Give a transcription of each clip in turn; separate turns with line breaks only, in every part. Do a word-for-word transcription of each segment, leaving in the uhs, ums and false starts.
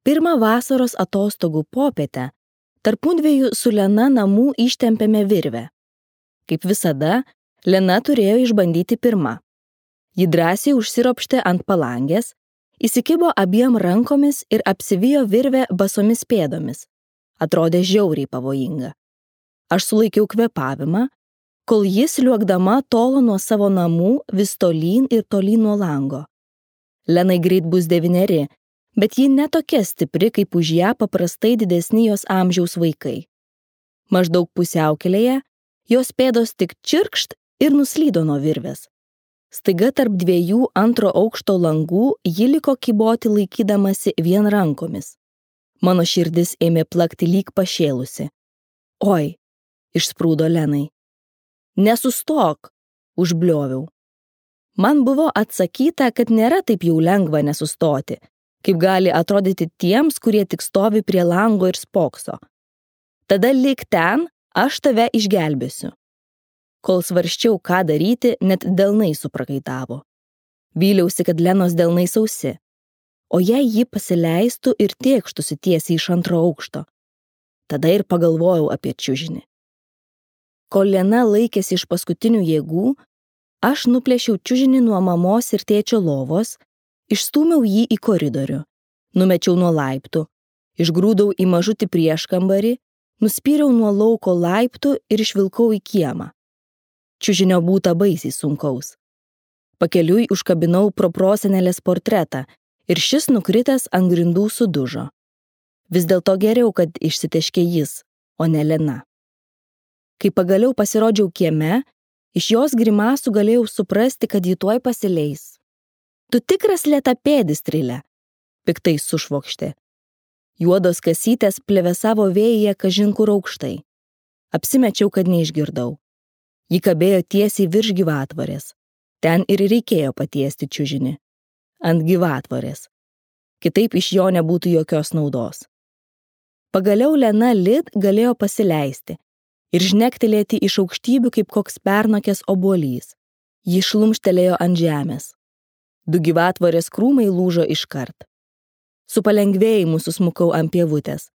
Pirmą vasaros atostogų popietę tarpudviejų su Lena namų ištempėme virvę. Kaip visada, Lena turėjo išbandyti pirma. Ji drąsiai užsiropštė ant palangės, įsikibo abiem rankomis ir apsivijo virvę basomis pėdomis. Atrodė žiauriai pavojinga. Aš sulaikiau kvėpavimą, kol jis liuogdama tolo nuo savo namų vis tolyn ir tolyn nuo lango. Lenai greit bus devyneri, bet ji netokia stipri, kaip už ją paprastai didesni jos amžiaus vaikai. Maždaug pusiaukelėje jos pėdos tik čirkšt ir nuslydo nuo virvės. Staiga tarp dviejų antro aukšto langų ji liko kyboti laikydamasi vien rankomis. Mano širdis ėmė plakti lyg pašėlusi. Oi, išsprūdo Lenai. Nesustok, užblioviau. Man buvo atsakyta, kad nėra taip jau lengva nesustoti, kaip gali atrodyti tiems, kurie tik stovi prie lango ir spokso. Tada lik ten, aš tave išgelbėsiu. Kol svarsčiau, ką daryti, net delnai suprakaitavo. Vyliausi, kad Lenos delnai sausi, o jei ji pasileistų ir tėkštųsi tiesiai iš antro aukšto. Tada ir pagalvojau apie čiužinį. Kol Lena laikėsi iš paskutinių jėgų, aš nuplėšiau čiužinį nuo mamos ir tėčio lovos, išstūmiau jį į koridorių, numečiau nuo laiptų, išgrūdau į mažutį prieškambarį, nuspyriau nuo lauko laiptų ir išvilkau į kiemą. Čiužinio būta baisiai sunkaus. Pakeliui užkabinau proprosenelės portretą ir šis nukritęs ant grindų sudužo. Vis dėlto geriau, kad išsiteškė jis, o ne Lena. Kai pagaliau pasirodžiau kieme, iš jos grimasų galėjau suprasti, kad ji tuoj pasileis. Tu tikras lėtapėdis, Trilė, piktai sušvokštė. Juodos kasytės plevėsavo vėjyje kažin kur aukštai. Apsimečiau, kad neišgirdau. Ji kabėjo tiesiai virš gyvatvorės. Ten ir reikėjo patiesti čiužinį. Ant gyvatvorės. Kitaip iš jo nebūtų jokios naudos. Pagaliau Lena Lid galėjo pasileisti ir žnektelėti iš aukštybių kaip koks pernokęs obuolys. Ji šlumštelėjo ant žemės. Du gyvatvorės krūmai lūžo iškart. Su palengvėjimu susmukau ant pievutės,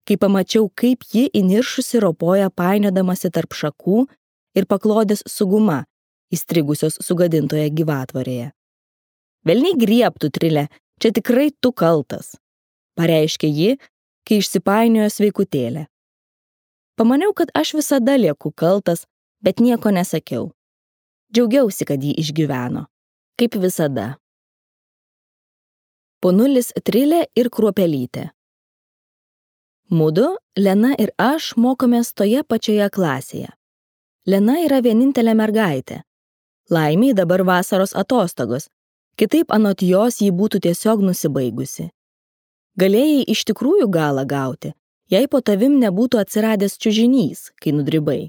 kai pamačiau, kaip ji įniršusi ropoja painiodamasi tarp šakų ir paklodės su guma, įstrigusios sugadintoje gyvatvorėje. Velniai griebtų, Trilė, čia tikrai tu kaltas, pareiškė ji, kai išsipainiojo sveikutėlė. Pamaniau, kad aš visada lieku kaltas, bet nieko nesakiau. Džiaugiausi, kad ji išgyveno, kaip visada. Ponulis Trilė ir Kruopelytė. Mudu, Lena ir aš mokomės toje pačioje klasėje. Lena yra vienintelė mergaitė. Laimiai dabar vasaros atostogos, kitaip anot jos ji būtų tiesiog nusibaigusi. Galėjai iš tikrųjų galą gauti, jei po tavim nebūtų atsiradęs čiužinys, kai nudribai.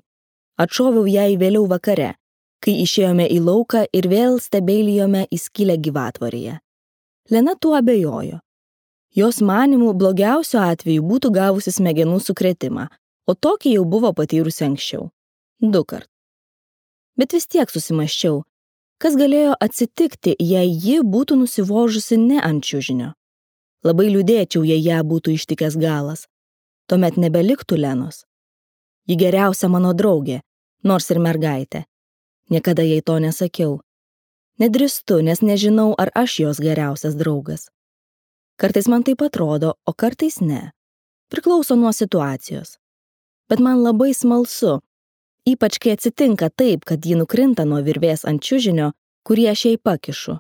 Atšoviau jai vėliau vakare, kai išėjome į lauką ir vėl stebeilijome į skylę gyvatvorėje. Lena tuo abejojo. Jos manimų blogiausiu atveju būtų gavusi smegenų sukrėtimą, o tokį jau buvo patyrusi anksčiau. Du kart. Bet vis tiek susimąsčiau, kas galėjo atsitikti, jei ji būtų nusivožusi ne ant čiužinio. Labai liūdėčiau, jei ją būtų ištikęs galas. Tuomet nebeliktų Lenos. Ji geriausia mano draugė, nors ir mergaitė. Niekada jai to nesakiau. Nedrįstu, nes nežinau, ar aš jos geriausias draugas. Kartais man taip atrodo, o kartais ne. Priklauso nuo situacijos. Bet man labai smalsu, ypač kai atsitinka taip, kad ji nukrinta nuo virvės ant čiužinio, kurį aš jai pakišu.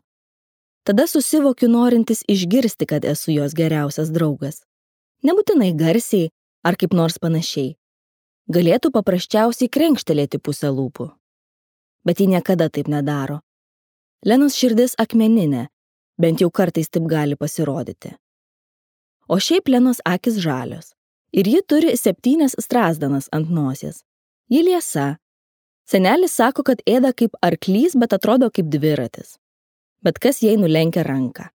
Tada susivokiu norintis išgirsti, kad esu jos geriausias draugas. Nebūtinai garsiai ar kaip nors panašiai. Galėtų paprasčiausiai krenkštelėti pusę lūpų. Bet ji niekada taip nedaro. Lenos širdis akmeninė, bent jau kartais taip gali pasirodyti. O šiaip Lenos akis žalios. Ir ji turi septynias strazdanas ant nosies. Ji liesa. Senelis sako, kad ėda kaip arklys, bet atrodo kaip dviratis. Bet kas jai nulenkia ranką.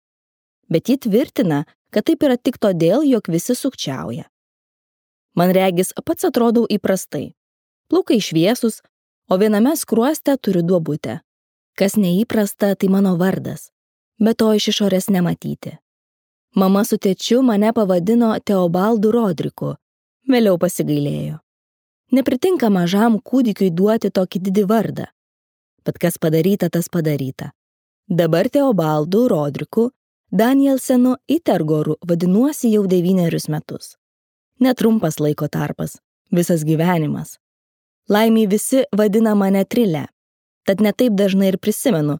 Bet ji tvirtina, kad taip yra tik todėl, jog visi sukčiauja. Man regis, pats atrodau įprastai. Plaukai šviesus, o viename skruoste turiu duobutę. Kas neįprasta, tai mano vardas, bet to iš išorės nematyti. Mama su tėčiu mane pavadino Teobaldu Rodriku, vėliau pasigailėjo. Nepritinka mažam kūdikiui duoti tokį didį vardą. Bet kas padaryta, tas padaryta. Dabar Teobaldu Rodriku Danielsenu Itergoru vadinuosi jau devynerius metus. Netrumpas laiko tarpas, visas gyvenimas. Laimiai visi vadina mane Trile, tad netaip dažnai ir prisimenu,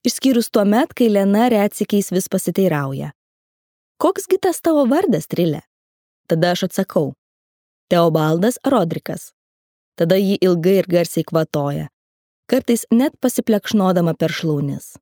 išskyrus tuo met, kai Lena retsykiais vis pasiteirauja. Koksgi tas tavo vardas, Trile? Tada aš atsakau. Teobaldas Rodrikas. Tada jį ilgai ir garsiai kvatoja, kartais net pasiplekšnodama per šlaunis.